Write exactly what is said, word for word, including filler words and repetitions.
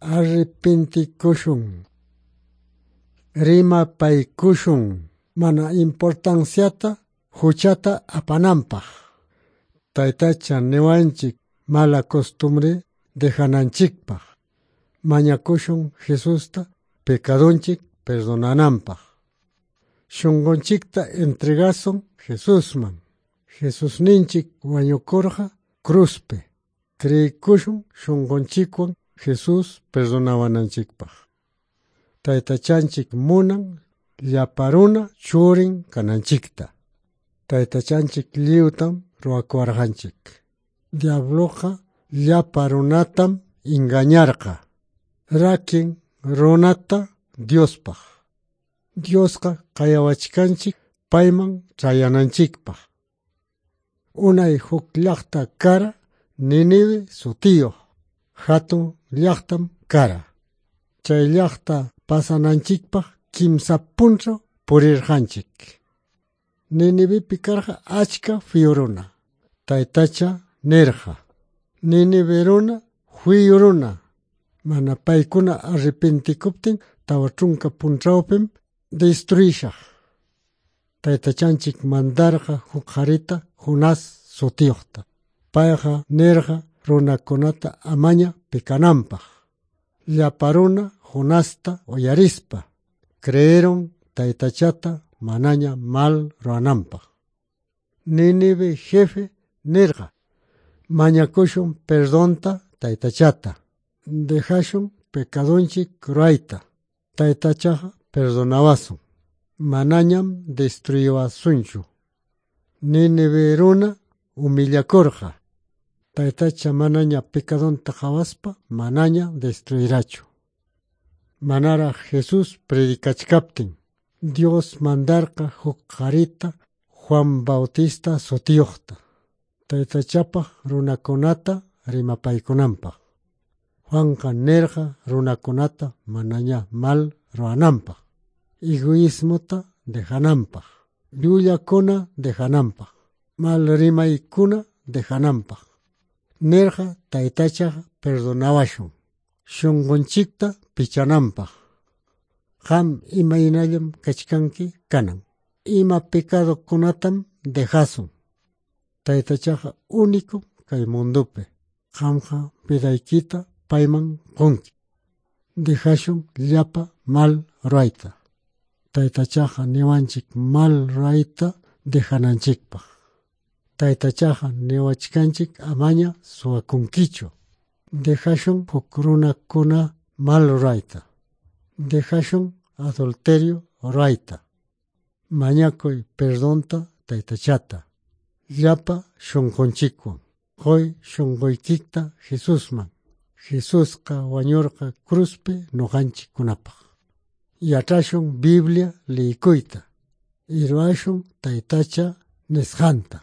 Arrepentikushun. Rimapaykushun mana importanciata huchata apananpaq. Taytacha niwanchik mala costumbre dejananchikpaq. Mañakushun Jesusta pecadonchik perdonananpaq. Shunqunchikta entregasun Jesusman. Jesusninchik wañukurqa cruzpi. Creekushun shunqunchikwan Jesús perdonawananchikpaq. Taytachanchik munan llapa runa churin kananchikta. Taytachanchik lliwtam ruwakuwarqanchik. Diabloqa llapa runatam engañarqa. Rakin runata Diospaq. Diosqa qayawachkanchik payman chayananchikpaq. Unay huk llaqta kara Ninive sutiyuq. Hatun llaqtam kara. Chay llaqta pasananchikpaq kimsa punchaw purirqanchik. Ninivepi karqa achka fiyu runa. Taytacha nirqa: Ninive runa fiyu runa. Mana paykuna arrepentikuptin tawa chunka punchawpim destruishaq. Taytachanchik mandarqa huk qarita Jonás sutiyuqta. Payqa nirqa runakunata amaña pecananpaq. Llapa runa Jonasta uyarispa creyeron taytachata manaña mal ruwananpaq. Ninive jefe nirqa: mañakushun perdonta taytachata. Dejashun pecadonchik ruwayta. Taytachaqa perdonawasun. Manañam destruiwasunchu. Ninive runa humillakurqa. Taytacha manaña pecadonta qhawaspa manaña destruirachu. Manaraq Jesús predicachkaptin Dios mandarqa huk qarita Juan Bautista sutiyuqta. Taytachapaq runakunata rimapaykunanpaq. Juanqa nirqa runakunata manaña mal ruwananpaq. Egoísmota dejananpaq. Llullakuna dejananpaq. Mal rimaykuna dejananpaq. Nirqa taytachaqa perdonawashun. Shunqunchikta pichananpaq. Qam imaynallam kachkanki kanan. Ima pecadokunatam dejasun. Taytachaqa único kay mundopi. Qamqa vidaykita payman qunki. Dejashun llapa mal ruwayta. Taytachaqa niwanchik mal ruwayta dejananchikpaq. Taytachaqa niwachkanchik amaña suwakunkichu. Dejashun huk runakuna mal ruwayta. Dejashun adulterio ruwayta. Mañakuy perdonta taytachata. Llapa shunqunchikwan. Quy shunquykikta Jesusman. Jesusqa wañurqa cruzpi ñuqanchikkunapaq. Yach'ashun Biblia liyikuyta. Ruwashun taytacha nisqanta.